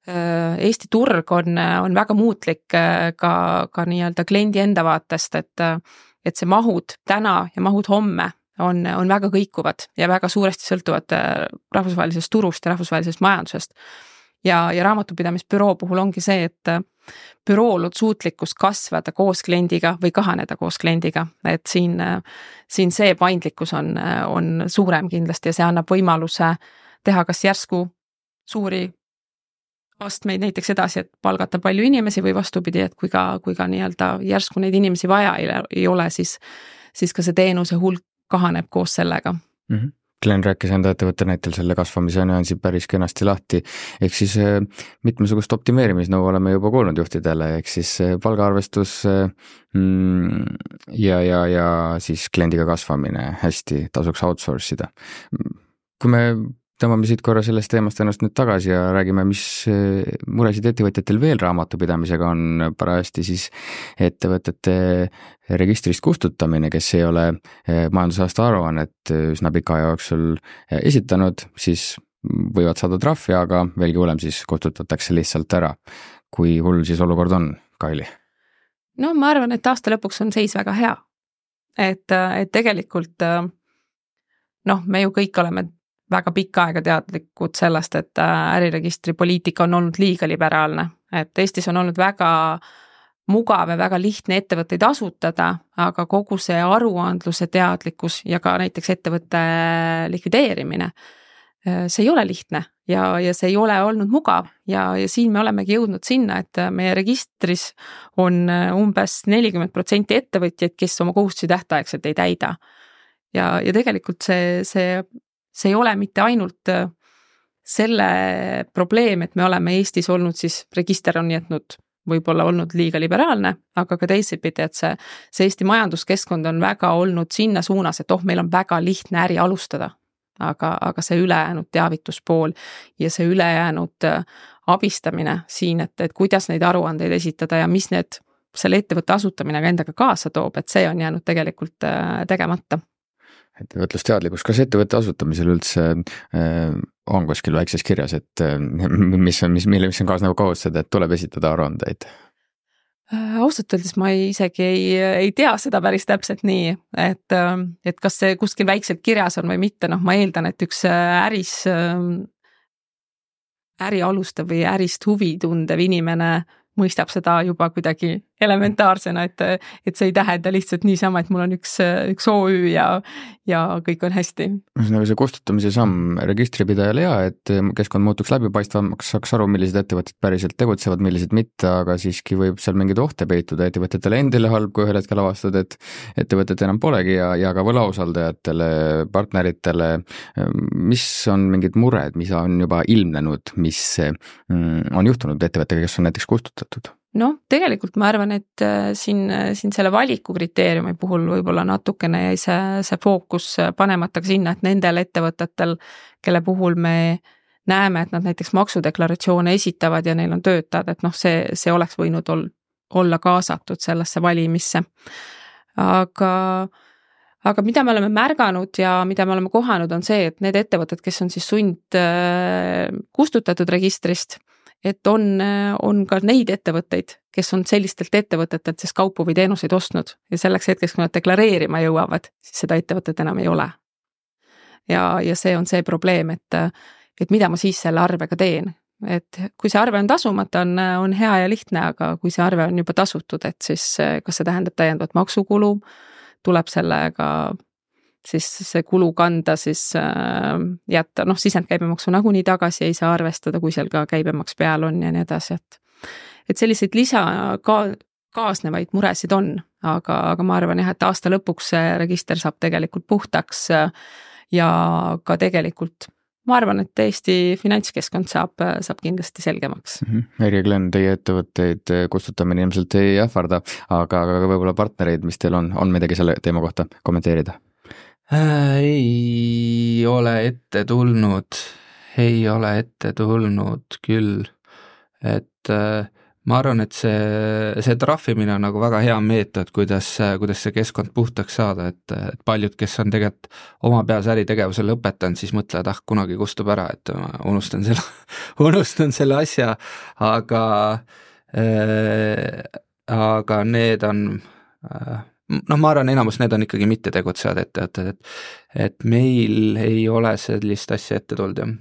Eesti turg on, on väga muutlik ka, ka nii-öelda kliendi enda vaatest, et, et see mahud täna ja mahud homme on, on väga kõikuvad ja väga suuresti sõltuvad rahvusvahelisest turust ja rahvusvahelisest majandusest. Ja, ja raamatupidamisbüroo puhul ongi see, et bürool on suutlikkus kasvada koos kliendiga või kahaneda koos kliendiga, et siin, siin see paindlikkus on, on suurem kindlasti ja see annab võimaluse teha kas järsku suuri astmeid näiteks edasi, et palgata palju inimesi või vastupidi, et kui ka, kui ka nii-öelda järsku neid inimesi vaja ei, ei ole, siis, siis ka see teenuse hulk kahaneb koos sellega. Mm-hmm. Glen rääkis enda ettevõtte näitel selle kasvamise nüansi päris kenasti lahti, ehk siis mitmesugust optimeerimisnõu oleme juba kuulnud juhtidele, ehk siis palgaarvestus ja, ja, ja siis kliendiga kasvamine hästi tasuks outsource'ida. Kui me tõmbame siit korra sellest teemast ennast nüüd tagasi ja räägime, mis muresid ettevõtjatel veel raamatupidamisega on parajasti, siis ettevõtete registrist kustutamine, kes ei ole majandusaasta aruannet üsna pika aja jooksul esitanud, siis võivad saada trahvi, aga veelgi hullem siis kustutatakse lihtsalt ära. Kui hull siis olukord on, Kaili? No ma arvan, et aasta lõpuks on seis väga hea. Et, et tegelikult noh, me ju kõik oleme väga pikka aega teadlikud sellest, et äriregistri poliitika on olnud liiga liberaalne, et Eestis on olnud väga mugav ja väga lihtne ettevõtteid asutada, aga kogu see aruandluse teadlikkus ja ka näiteks ettevõtte likvideerimine, see ei ole lihtne ja, ja see ei ole olnud mugav ja, ja siin me olemegi jõudnud sinna, et meie registris on umbes nelikümmend protsenti ettevõtjaid, kes oma kohustusi tähtaegselt ei täida. Ja, ja tegelikult see, see See ei ole mitte ainult selle probleem, et me oleme Eestis olnud, siis register on jätnud võib-olla olnud liiga liberaalne, aga ka teisipidi, et see, see Eesti majanduskeskkond on väga olnud sinna suunas, et oh, meil on väga lihtne äri alustada, aga, aga see ülejäänud teavituspool ja see ülejäänud abistamine siin, et, et kuidas neid aruandeid esitada ja mis need selle ettevõtte asutamine ka endaga kaasa toob, et see on jäänud tegelikult tegemata. Ettevõtlusteadlikkus, kas ettevõtte asutamisel üldse äh, on kuskil väikses kirjas, et äh, mis on, mis, mille, mis on kaasnev kohustused, et tuleb esitada aruandeid? Äh, ausalt öeldes ma ei, isegi ei, ei tea seda päris täpselt nii, et, et kas see kuskil väikselt kirjas on või mitte, noh ma eeldan, et üks äris, äri alustav või ärist huvi tundev inimene mõistab seda juba kuidagi elementaarsena, et, et see ei tähenda lihtsalt niisama, et mul on üks, üks O Ü ja, ja kõik on hästi. Nagu see kustutamise samm registripidajale hea, et keskkond muutuks läbipaistvamaks, saaks aru, millised ettevõtted päriselt tegutsevad, millised mitte, aga siiski võib seal mingid ohte peituda ettevõtetele endile halb, kui ühel hetkel avastad, et ettevõtet enam polegi ja, ja ka võlausaldajatele, partneritele, mis on mingid mured, mis on juba ilmnenud, mis on juhtunud ettevõttega, kes on näiteks kustutatud? No tegelikult ma arvan, et siin, siin selle valiku kriteeriumi puhul võib-olla natukene jäi see, see fookus panemata ka sinna, et nendel ettevõtetel, kelle puhul me näeme, et nad näiteks maksudeklaratsioone esitavad ja neil on töötajad, et noh, see, see oleks võinud ol, olla kaasatud sellesse valimisse. Aga, aga mida me oleme märganud ja mida me oleme kohanud on see, et need ettevõtted, kes on siis sund kustutatud registrist, et on, on ka neid ettevõtteid, kes on sellistelt ettevõtetelt siis kaupu või teenuseid ostnud ja selleks hetkeks, kui nad deklareerima jõuavad, siis seda ettevõtet enam ei ole. Ja, ja see on see probleem, et, et mida ma siis selle arvega teen. Et kui see arve on tasumata, on, on hea ja lihtne, aga kui see arve on juba tasutud, et siis kas see tähendab täiendavat maksukulu, tuleb sellega siis see kulu kanda siis äh, jätta, noh, sisendkäibemaksu nagunii tagasi ei saa arvestada, kui seal ka käibemaks peal on ja nii edasi, et et selliseid lisa ka, kaasnevaid muresid on, aga, aga ma arvan jah, et aasta lõpuks see register saab tegelikult puhtaks ja ka tegelikult ma arvan, et Eesti finantskeskkond saab, saab kindlasti selgemaks. Mm-hmm. Eri ja Glen, teie ettevõtteid kustutamine ilmselt ei ähvarda, aga, aga võib-olla partnereid, mis teil on, on midagi selle teema kohta kommenteerida? Äh, ei ole ette tulnud, ei ole ette tulnud küll, et äh, ma arvan, et see, see trahvimine on nagu väga hea meetod, kuidas, kuidas see keskkond puhtaks saada, et, et paljud, kes on tegelikult oma peas äritegevuse lõpetanud, siis mõtlevad, ah, kunagi kustub ära, et ma unustan selle, unustan selle asja, aga äh, aga need on äh, noh, ma arvan, enamus need on ikkagi mitte tegutsevad ettevõtted, et, et meil ei ole sellist asja ette tulnud, jah.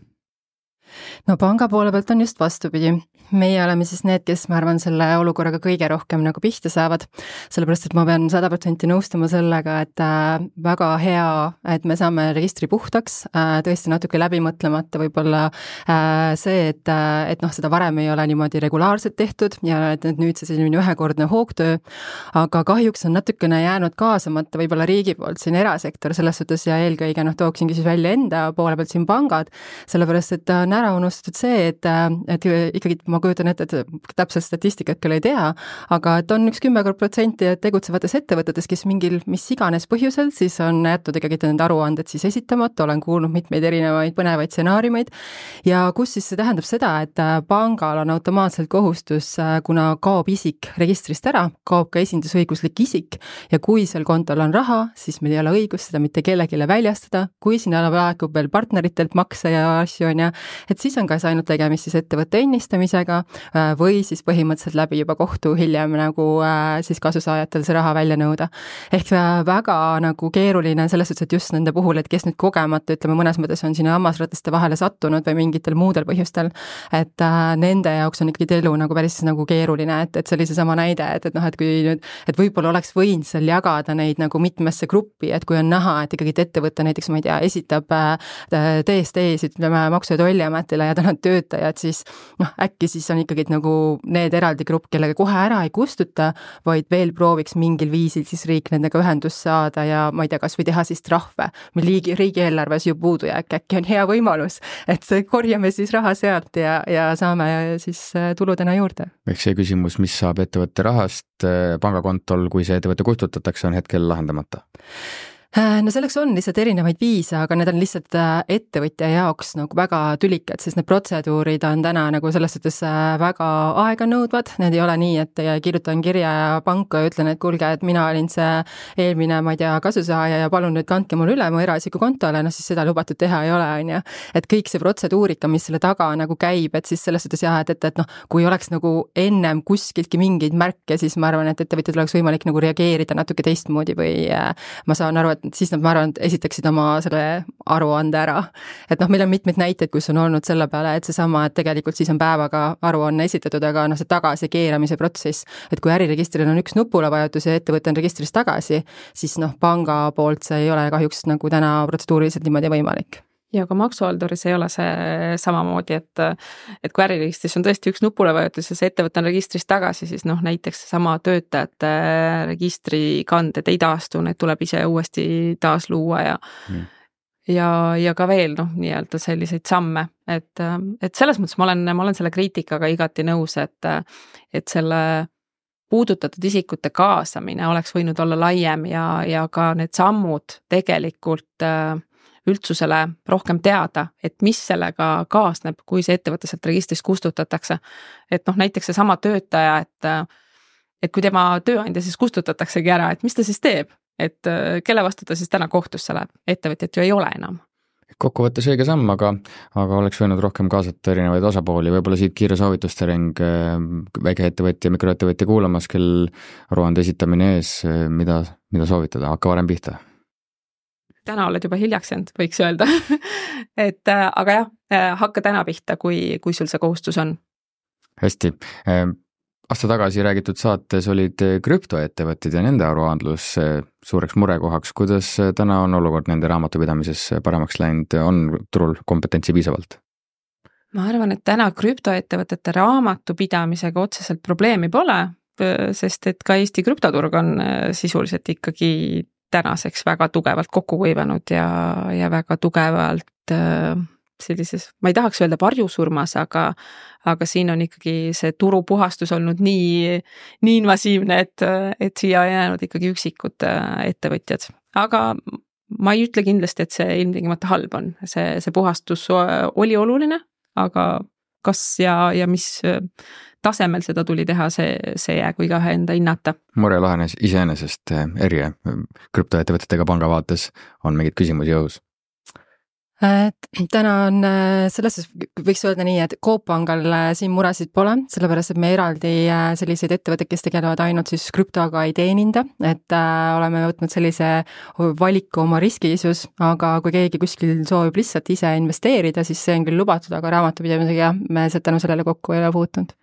No panga poole pealt on just vastupidi. Meie oleme siis need, kes ma arvan selle olukorraga kõige rohkem nagu pihta saavad, sellepärast et ma pean sada protsenti nõustuma sellega, et äh, väga hea, et me saame registri puhtaks, äh, tõesti natuke läbi mõtlemata võib-olla äh, see, et, äh, et noh, seda varem ei ole niimoodi regulaarselt tehtud ja et nüüd see selline ühekordne hoogtöö, aga kahjuks on natukene jäänud kaasamata võib-olla riigi poolt siin erasektor selles suhtes ja eelkõige noh, tooksingi siis välja enda poole pealt siin pangad, sellepärast et on ära unustatud see, et, et ikkagi ma kujutan ette, et täpselt statistikat küll ei tea, aga et on üks kümme protsenti tegutsevates ettevõtetes, kes mingil mis iganes põhjusel, siis on jätnud ikkagi need aruanded siis esitamata, olen kuulnud mitmeid erinevaid põnevaid stsenaariumeid ja kus siis see tähendab seda, et pangal on automaatselt kohustus, kuna kaob isik registrist ära, kaob ka esindusõiguslik isik ja kui seal kontol on raha, siis meil ei ole õigust seda mitte kellegile väljastada, kui sinna laekub veel partneritelt makse ja asju on ja et siis on kas ainult tegemist siis ettevõtte ennistamisega või siis põhimõtteliselt läbi juba kohtu hiljem nagu siis kasusaajatel see raha välja nõuda. Ehk väga nagu keeruline selles suhtes, et just nende puhul, et kes nüüd kogemata, ütleme mõnes mõttes on sinna hammasratiste vahele sattunud või mingitel muudel põhjustel, et nende jaoks on ikkagi elu nagu päris nagu keeruline, et, et see oli seesama näide, et, et noh, et kui nüüd, et võib-olla oleks võinud seal jagada neid nagu mitmesse gruppi, et kui on näha, et ikkagi ettevõte näiteks, ma ei tea, esitab T S D-s, ütleme Maksu- ja Tolliametile ja tal on töötajad, siis noh, äkki siis on ikkagi nagu need eraldi grupp, kellega kohe ära ei kustuta, vaid veel prooviks mingil viisil siis riik nendega ühendust saada ja ma ei tea, kas või teha siis trahve. Meil riigi, riigieelarves ju puudujääk, äkki on hea võimalus, et korjame siis raha sealt ja, ja saame siis tuludena juurde. Ehk see küsimus, mis saab ettevõtte rahast pangakontol, kui see ettevõtte kustutatakse, on hetkel lahendamata? No selleks on lihtsalt erinevaid viise, aga need on lihtsalt ettevõtja jaoks nagu väga tülikad, sest need protseduurid on täna nagu selles suhtes väga aeganõudvad, need ei ole nii, et kirjutan kirja panka ja ütlen, et kuulge, et mina olin see eelmine, ma ei tea, kasusaaja ja palun nüüd kandke mul üle mu eraisiku kontole, no siis seda lubatud teha ei ole, on ju. Et kõik see protseduurika, mis selle taga nagu käib, et siis selles suhtes jah, et, et, et noh, kui oleks nagu ennem kuskiltki mingeid märke, siis ma arvan, et ettevõtjad oleks võimalik nagu reageerida natuke teistmoodi või ma saan aru, et siis nad, ma arvan, et esitaksid oma selle aruande ära. Et noh, meil on mitmeid näiteid, kus on olnud selle peale, et seesama, et tegelikult siis on päevaga aruanne esitatud, aga noh, see tagasi keeramise protsess, et kui äriregistril on üks nupule vajutus ja ettevõte on registrist tagasi, siis noh, panga poolt see ei ole kahjuks nagu täna protseduuriliselt niimoodi võimalik. Ja ka maksuhalduris ei ole see samamoodi, et, et kui äriregistris on tõesti üks nupule vajutus ja see ettevõte on registrist tagasi, siis noh, näiteks sama töötajate registrikanded ei taastu, need tuleb ise uuesti taas luua ja mm. ja, ja ka veel noh, nii-öelda selliseid samme, et, et selles mõttes ma olen, ma olen selle kriitikaga igati nõus, et, et selle puudutatud isikute kaasamine oleks võinud olla laiem ja, ja ka need sammud tegelikult üldsusele rohkem teada, et mis sellega kaasneb, kui see ettevõte sealt registrist kustutatakse. Et noh, näiteks see sama töötaja, et, et kui tema tööandja siis kustutataksegi ära, et mis ta siis teeb, et kelle vastu ta siis täna kohtusse läheb, ettevõtjat ju ei ole enam. Kokkuvõttes õige samm, aga, aga oleks võinud rohkem kaasata erinevaid osapooli, võib-olla siit kiire soovituste ring väikeettevõtja, mikroettevõtja kuulamas, kel aruande esitamine ees, mida, mida soovitada, hakka varem pihta? Täna oled juba hiljaks jäänud, võiks öelda. et aga jah, hakka täna pihta, kui, kui sul see kohustus on. Hästi. aasta tagasi räägitud saates olid krüptoettevõtted ja nende aruandlus suureks murekohaks. Kuidas täna on olukord nende raamatupidamises paremaks läinud, on turul kompetentsi piisavalt? Ma arvan, et täna krüptoettevõtete raamatupidamisega otseselt probleemi pole, sest et ka Eesti krüptoturg on sisuliselt ikkagi tänaseks väga tugevalt kokku kuivanud ja, ja väga tugevalt sellises, ma ei tahaks öelda varjusurmas, aga, aga siin on ikkagi see turupuhastus olnud nii, nii invasiivne, et, et siia on jäänud ikkagi üksikud ettevõtjad. Aga ma ei ütle kindlasti, et see ilmtingimata halb on. See, see puhastus oli oluline, aga kas ja, ja mis tasemel seda tuli teha, see, see jäägu igaühe enda hinnata. Mure lahenes iseenesest eri krüptoettevõtetega panga vaates on mingid küsimusi õhus. Täna on selles, võiks öelda nii, et Coop Pangal siin muresid pole, sellepärast, et me eraldi selliseid ettevõtteid, kes tegelevad ainult siis krüptoga ei teeninda, et oleme võtnud sellise valiku oma riskiisus, aga kui keegi kuskil soovib lihtsalt ise investeerida, siis see on küll lubatud, aga raamatupidamisega me tänu sellele kokku ei ole puutunud.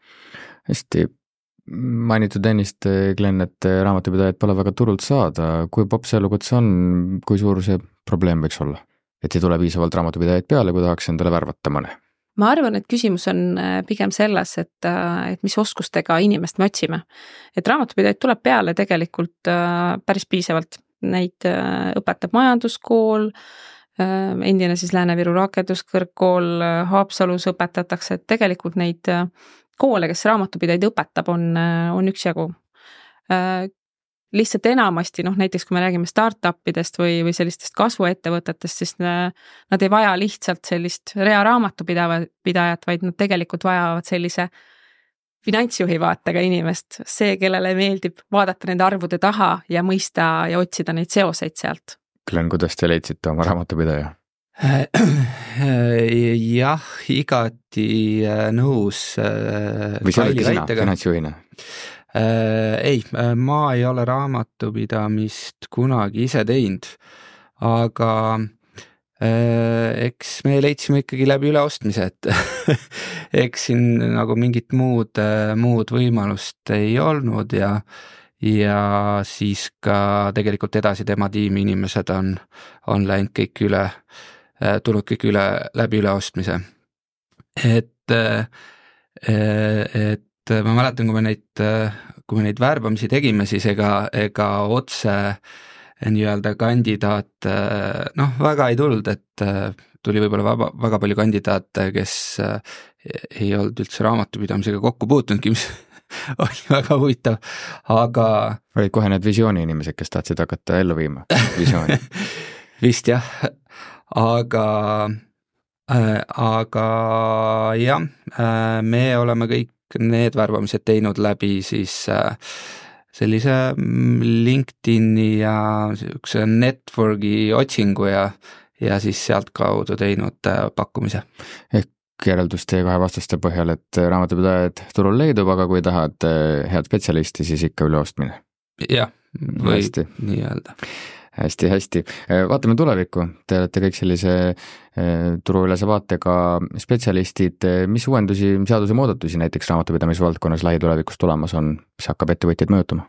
Hästi. Mainitud ennist, Glenn, et raamatupidajad pole väga turult saada. Kui popp see elukutse on, kui suur see probleem võiks olla? Et ei tule piisavalt raamatupidajaid peale, kui tahaks endale värvata mõne? Ma arvan, et küsimus on pigem selles, et, et mis oskustega inimest me otsime. Et raamatupidajaid tuleb peale tegelikult päris piisavalt. Neid õpetab majanduskool, endine siis Lääne-Viru rakenduskõrgkool, Haapsalus õpetatakse, et tegelikult neid koole, kes raamatupidajaid õpetab, on, on üksjagu. Lihtsalt enamasti, noh näiteks kui me räägime startupidest või, või sellistest kasvuettevõtetest, siis nad ei vaja lihtsalt sellist rea raamatupidajat, vaid nad tegelikult vajavad sellise finantsjuhi vaatega inimest, see, kellele meeldib vaadata nende arvude taha ja mõista ja otsida neid seoseid sealt. Glenn, kuidas te leidsite oma raamatupidaja? Jah, igati nõus. Või see olidki sina finantsjuhina? Äh, ei, ma ei ole raamatupidamist kunagi ise teinud, aga äh, eks me leidsime ikkagi läbi üleostmise, et eks siin nagu mingit muud, muud võimalust ei olnud ja, ja siis ka tegelikult edasi tema tiimi inimesed on, on läinud kõik üle, tulnud kõik üle läbi üleostmise. Et, et ma mäletan, kui me neid, kui me neid värbamisi tegime, siis ega, ega otse nii-öelda kandidaat, noh, väga ei tulnud, et tuli võib-olla väga, väga palju kandidaate, kes ei olnud üldse raamatupidamisega kokku puutunudki, mis oli väga huvitav, aga... Olid kohe need visiooni inimesed, kes tahtsid hakata ellu viima visiooni? Vist jah, aga... aga jah, me oleme kõik need värbamised teinud läbi siis sellise LinkedIni ja sellise networki otsingu ja, ja siis sealt kaudu teinud pakkumise. Ehk järeldus teie kahe vastuste põhjal, et raamatupidajad turul leidub, aga kui tahad head spetsialisti, siis ikka üleostmine. Jah, või nii öelda. Hästi, hästi. Vaatame tulevikku. Te olete kõik sellise turuülese vaatega spetsialistid. Mis uuendusi, seaduse muudatusi näiteks raamatupidamisvaldkonnas lähitulevikus tulemas on, mis hakkab ettevõtjaid mõjutama?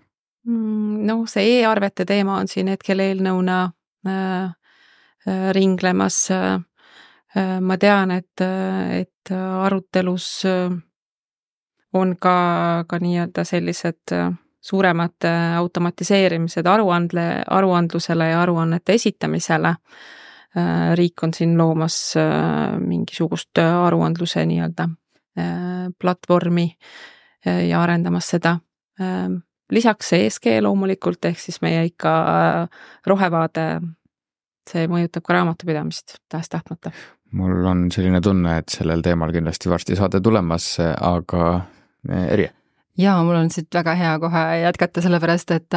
No see e-arvete teema on siin hetkel eelnõuna äh, ringlemas. Äh, ma tean, et, et arutelus on ka, ka nii-öelda sellised suuremad automatiseerimised aruandle, aruandlusele ja aruannete esitamisele. Riik on siin loomas mingisugust aruandluse nii-öelda platvormi ja arendamas seda. Lisaks E S G loomulikult, ehk siis meie ikka rohevaade, see mõjutab ka raamatupidamist tahes-tahtmata. Mul on selline tunne, et sellel teemal kindlasti varsti saade tulemas, aga Erje? Jaa, mul on siit väga hea kohe jätkata, sellepärast, et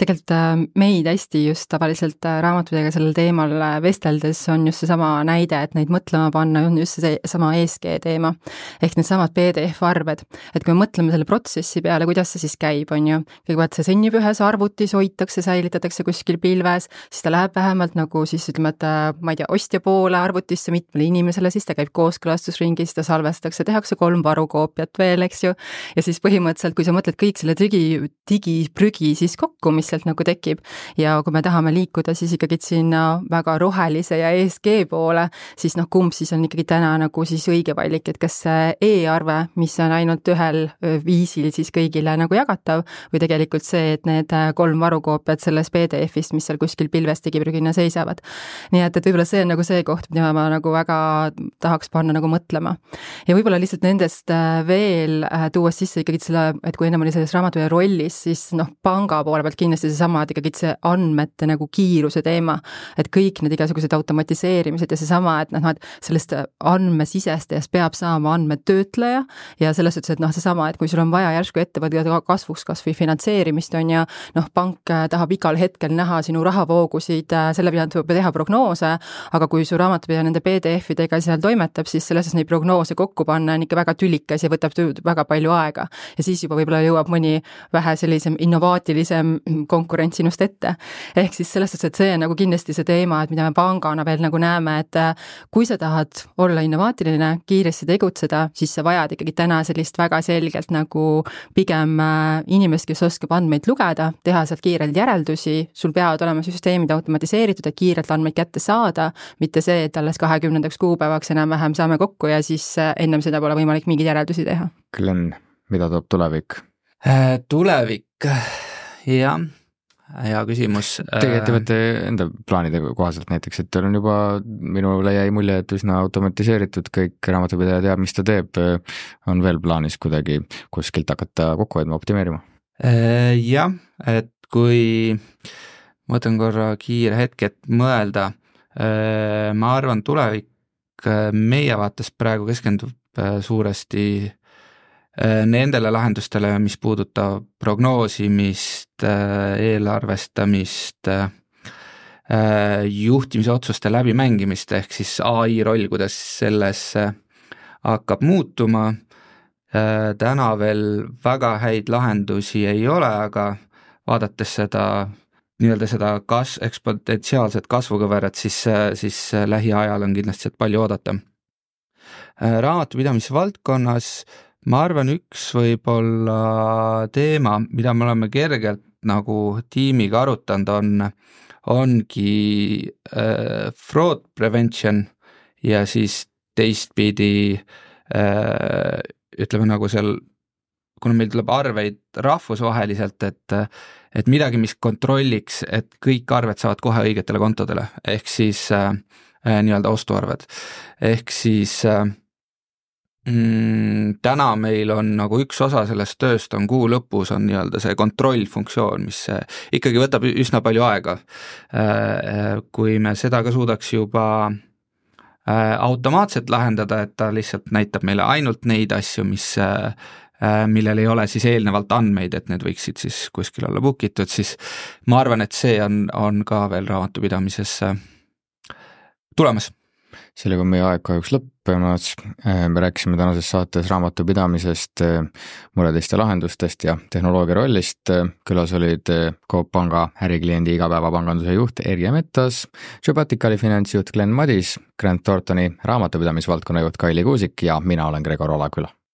tegelikult meid hästi just tavaliselt raamatudega sellel teemal vesteldes on just see sama näide, et neid mõtlema panna on just see sama E S G teema, ehk need samad P D F-arved. Et kui me mõtleme selle protsessi peale, kuidas see siis käib, on ju, kõigepealt see sõnnib ühes arvutis, hoitakse, säilitatakse kuskil pilves, siis ta läheb vähemalt nagu siis ütleme, et ma ei tea, ostja poole arvutisse mitmele inimesele, siis ta käib kooskõlastusringis, ta salvestatakse, tehakse kolm varukoopiat veel, eks ju, ja siis põhimõtteliselt põhimõtteliselt, kui sa mõtled kõik selle digi, digiprügi siis kokku, mis sealt nagu tekib ja kui me tahame liikuda siis ikkagi sinna väga rohelise ja E S G poole, siis noh, kumb siis on ikkagi täna nagu siis õige valik, et kas see e-arve, mis on ainult ühel viisil siis kõigile nagu jagatav või tegelikult see, et need kolm varukoopiat selles P D F-ist, mis seal kuskil pilves digiprügina seisavad. Nii et, et võib-olla see on nagu see koht, mida ma nagu väga tahaks panna nagu mõtlema. Ja võib-olla lihtsalt nendest veel tuues sisse ikkagi selle, et kui ennem oli selles raamatuja rollis, siis noh, panga poole pealt kindlasti seesama, et ikkagi see andmete nagu kiiruse teema, et kõik need igasugused automatiseerimised ja seesama, et noh, et sellest andmesisestajast peab saama andmetöötleja ja selles suhtes, et noh, seesama, et kui sul on vaja järsku ettevõtte kasvuks kas või finantseerimist on ja noh, pank tahab igal hetkel näha sinu rahavoogusid, selle peale tuleb teha prognoose, aga kui su raamatupidaja nende P D F-idega seal toimetab, siis selles neid prognoose kokku panna on ikka väga tülikas ja võtab väga palju aega. Ja siis juba võib-olla jõuab mõni vähe sellisem innovaatilisem konkurent sinust ette. Ehk siis selles suhtes, et see on nagu kindlasti see teema, et mida me pangana veel nagu näeme, et kui sa tahad olla innovaatiline, kiiresti tegutseda, siis sa vajad ikkagi täna sellist väga selgelt nagu pigem inimest, kes oskab andmeid lugeda, teha sealt kiirelt järeldusi, sul peavad olema süsteemid automatiseeritud, et kiirelt andmeid kätte saada, mitte see, et alles kahekümnendaks kuupäevaks enam-vähem saame kokku ja siis ennem seda pole võimalik mingeid järeldusi teha. Glenn, mida toob tulevik? Tulevik, jah. Hea küsimus. Teie ettevõtte enda plaanide kohaselt näiteks, et teil on juba, minule jäi mulje, et üsna automatiseeritud, kõik raamatupidaja teab, mis ta teeb, on veel plaanis kuidagi kuskilt hakata kokku hoidma, optimeerima? Jah, et kui mõtlen korra kiire hetk, et mõelda, ma arvan, tulevik meie vaates praegu keskendub suuresti nendele lahendustele, mis puudutab prognoosimist, eelarvestamist, juhtimise otsuste läbimängimist, ehk siis A I roll, kuidas selles hakkab muutuma. Täna veel väga häid lahendusi ei ole, aga vaadates seda nii-öelda seda kas, eksponentsiaalset kasvukõverat, siis, siis lähiajal on kindlasti palju oodata. Raamatupidamise valdkonnas ma arvan, üks võib-olla teema, mida me oleme kergelt nagu tiimiga arutanud, on, ongi äh, fraud prevention ja siis teistpidi äh, ütleme nagu seal, kuna meil tuleb arveid rahvusvaheliselt, et, et midagi, mis kontrolliks, et kõik arved saavad kohe õigetele kontodele, ehk siis äh, nii-öelda ostuarved. Ehk siis äh, Mm, täna meil on nagu üks osa sellest tööst on kuu lõpus on nii-öelda see kontrollfunktsioon, mis ikkagi võtab üsna palju aega. Kui me seda ka suudaks juba automaatselt lahendada, et ta lihtsalt näitab meile ainult neid asju, mis, millel ei ole siis eelnevalt andmeid, et need võiksid siis kuskil olla bookitud, siis ma arvan, et see on, on ka veel raamatupidamises tulemas. Sellega on meie aeg kahjuks lõppemas. Me rääkisime tänases saates raamatupidamisest, muredest ja lahendustest ja tehnoloogia rollist. Külas olid Coop Panga ärikliendi igapäevapanganduse juht Erje Mettas, Jobaticali finantsjuht Glenn Madis, Grant Thorntoni raamatupidamisvaldkonna juht Kaili Kuusik ja mina olen Gregor Olaküla.